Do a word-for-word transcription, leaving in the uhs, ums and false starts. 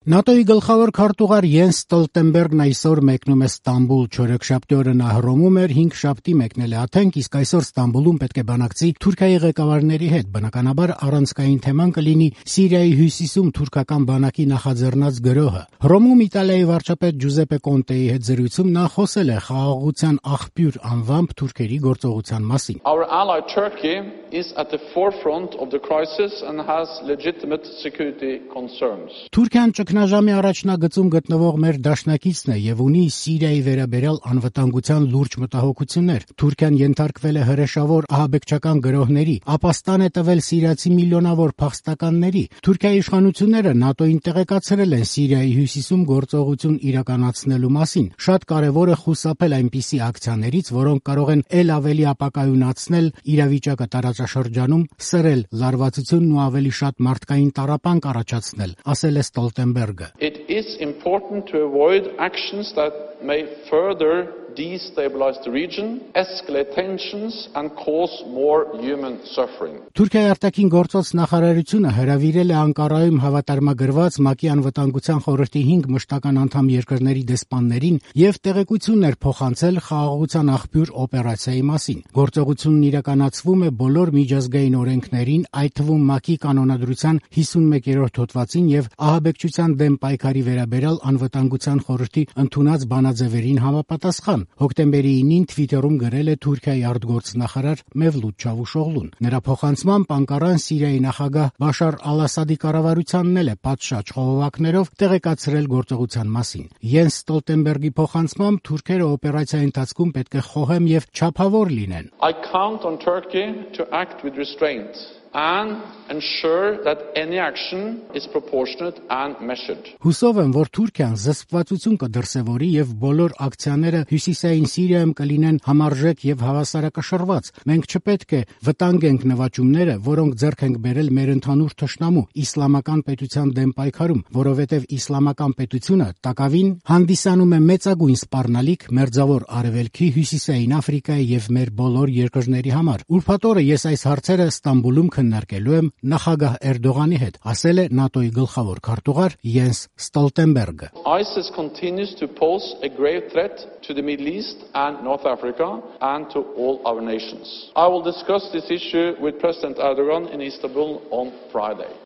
ՆԱՏՕ-ի գլխավոր քարտուղար Յենս Ստոլտենբերգն այսօր մեկնում է Ստամբուլ, չորեքշաբթի օրը նա Հռոմում էր, հինգշաբթի մեկնել է Աթենք, իսկ այսօր Ստամբուլում պետք է բանակցի Թուրքիայի ղեկավարների հետ։ Բնականաբար առանցքային թեման կլինի Սիրիայի հյուսիսում թուրքական բանակի նախաձեռնած գրոհը։ Հռոմում Իտալիայի վարչապետ Ջուզեպե Կոնտեի հետ զրույցում նա խոսել է խաղաղության աղբյուր անվամբ թուրքերի գործողության մասին։ Our ally Turkey is at the forefront of the crisis and has legitimate security concerns. Թուրքիան ճգնաժամի առաջնագծում գտնվող մեր դաշնակիցն է եւ ունի Սիրիայի վերաբերյալ անվտանգության լուրջ մտահոգություններ։ Թուրքիան ենթարկվել է հրեշավոր ահաբեկչական գրոհների, ապաստան է տվել սիրիացի միլիոնավոր փախստականների։ Թուրքիայի իշխանությունները ՆԱՏՕ-ին տեղեկացրել են Սիրիայի հյուսիսում գործողություն իրականացնելու մասին։ Շատ կարևոր է խուսափել այնպիսի ակցիաներից, որոնք կարող են ել ավելի ապակայունացնել իրավիճակը տարածաշրջանում, սրել լարվածությունն ու ավելի շատ մարդկային տառապանք առաջացնել, ասել է Ստոլտենբերգը։ It is important to avoid actions that may further destabilize the region, escalate tensions and cause more human suffering. Թուրքիայի արտաքին գործոց նախարարությունը հրավիրել է Անկարայում հավատարմագրված ՄԱԿ-ի անվտանգության խորհրդի հինգ մշտական անդամ երկրների դեսպաններին եւ տեղեկություններ փոխանցել խաղաղության աղբյուր օպերացիայի մասին։ Գործողությունն իրականացվում է բոլոր միջազգային օրենքներին, այդ թվում ՄԱԿ-ի կանոնադրության հիսունմեկերորդ հոդվածին եւ ահաբեկչության դեմ պայքարի վերաբերյալ անվտանգության խորհրդի ընդունած բանաձևերին համապատասխան։ Հոկտեմբերի ինին Թվիտերում գրել է Թուրքիայի արտգործնախարար Մևլութ Չավուշօղլուն։ Նրա փոխանցմամբ Անկարան Սիրիայի նախագահ Բաշար Ալ-Ասադի կառավարությանն էլ է պատշաճ խողովակներով տեղեկացրել գործողության մասին։ Յենս Ստոլտենբերգի փոխանցմամբ թուրքերը օպերացիայի ընթացքում պետք է խոհեմ եւ չափավոր լինեն։ I count on Turkey to act with restraint and ensure that any action is proportionate and measured. Հուսով եմ, որ Թուրքիան զսպվածություն կդրսևորի եւ բոլոր ակցիաները հյուսիսային Սիրիայում կլինեն համարժեք եւ հավասարակշռված։ Մենք չպետք է վտանգենք նվաճումները, որոնք ձեռք ենք բերել մեր ընդհանուր թշնամու իսլամական պետության դեմ պայքարում, որովհետեւ իսլամական պետությունը տակավին հանդիսանում է մեծագույն սպառնալիք Մերձավոր Արևելքի, Հյուսիսային Աֆրիկայի եւ մեր բոլոր երկրների համար։ Ուրբաթ օրը ես այս հարցերը Ստամբուլում քննարկելու եմ նախագահ Էրդողանի հետ, ասել է ՆԱՏՕ-ի գլխավոր քարտուղար Յենս Ստոլտենբերգը։ ISIS continues to pose a grave threat to the Middle East and North Africa and to all our nations. I will discuss this issue with President Erdogan in Istanbul on Friday.